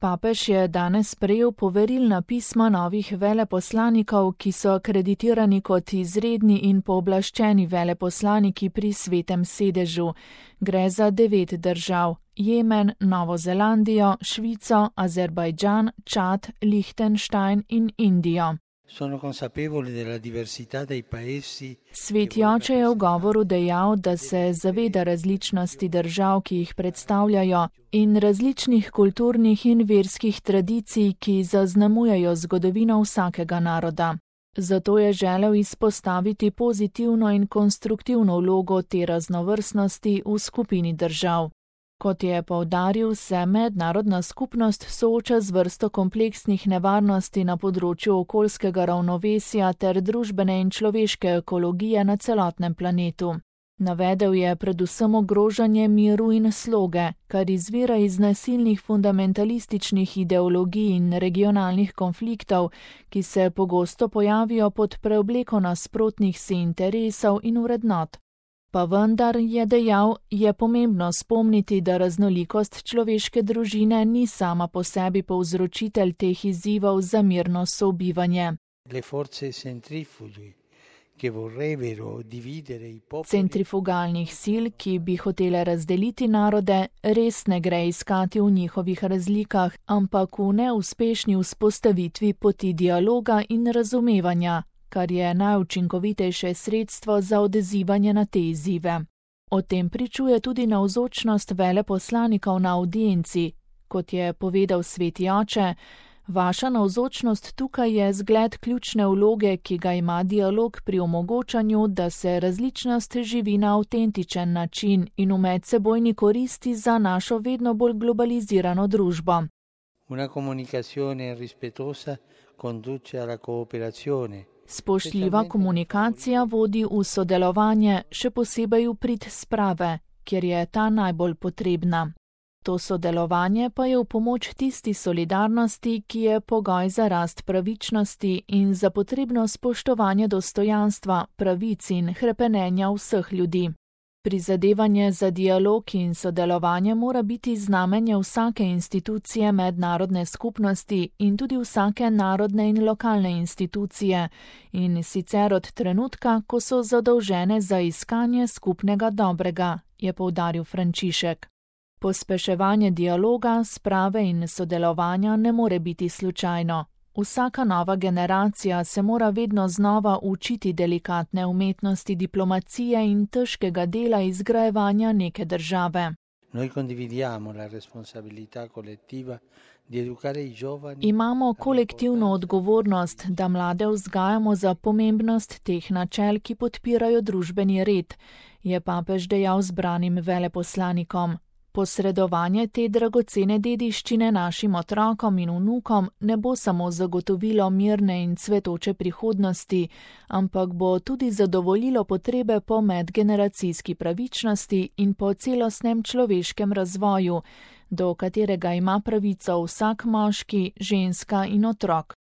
Papež je danes sprejel poverilna pisma novih veleposlanikov, ki so akreditirani kot izredni in pooblaščeni veleposlaniki pri Svetem sedežu. Gre za 9 držav: Jemen, Novo Zelandijo, Švico, Azerbajdžan, Čad, Lihtenštajn in Indijo. Sveti oče je v govoru dejal, da se zaveda različnosti držav, ki jih predstavljajo, in različnih kulturnih in verskih tradicij, ki zaznamujejo zgodovino vsakega naroda. Zato je želel izpostaviti pozitivno in konstruktivno vlogo te raznovrstnosti v skupini držav. Kot je poudaril, se mednarodna skupnost sooča z vrsto kompleksnih nevarnosti na področju okoljskega ravnovesja ter družbene in človeške ekologije na celotnem planetu. Navedel je predvsem ogrožanje miru in sloge, kar izvira iz nasilnih fundamentalističnih ideologij in regionalnih konfliktov, ki se pogosto pojavijo pod preobleko nasprotnih si interesov in vrednot. Pa vendar, je dejal, je pomembno spomniti, da raznolikost človeške družine ni sama po sebi povzročitelj teh izzivov za mirno sobivanje. Centrifugalnih sil, ki bi hotele razdeliti narode, res ne gre iskati v njihovih razlikah, ampak v neuspešni vzpostavitvi poti dialoga in razumevanja, kar je najučinkovitejše sredstvo za odzivanje na te izzive. O tem pričuje tudi navzočnost veleposlanikov na avdienci. Kot je povedal sveti oče, vaša navzočnost tukaj je zgled ključne vloge, ki ga ima dialog pri omogočanju, da se različnost živi na avtentičen način in v medsebojni koristi za našo vedno bolj globalizirano družbo. Una comunicazione rispettosa conduce alla cooperazione. Spoštljiva komunikacija vodi v sodelovanje, še posebej v prid sprave, kjer je ta najbolj potrebna. To sodelovanje pa je v pomoč tisti solidarnosti, ki je pogoj za rast pravičnosti in za potrebno spoštovanje dostojanstva, pravic in hrepenenja vseh ljudi. Prizadevanje za dialog in sodelovanje mora biti znamenje vsake institucije mednarodne skupnosti in tudi vsake narodne in lokalne institucije, in sicer od trenutka, ko so zadolžene za iskanje skupnega dobrega, je poudaril Frančišek. Pospeševanje dialoga, sprave in sodelovanja ne more biti slučajno. Vsaka nova generacija se mora vedno znova učiti delikatne umetnosti diplomacije in težkega dela izgrajevanja neke države. Imamo kolektivno odgovornost, da mlade vzgajamo za pomembnost teh načel, ki podpirajo družbeni red, je papež dejal zbranim veleposlanikom. Posredovanje te dragocene dediščine našim otrokom in vnukom ne bo samo zagotovilo mirne in cvetoče prihodnosti, ampak bo tudi zadovoljilo potrebe po medgeneracijski pravičnosti in po celostnem človeškem razvoju, do katerega ima pravico vsak moški, ženska in otrok.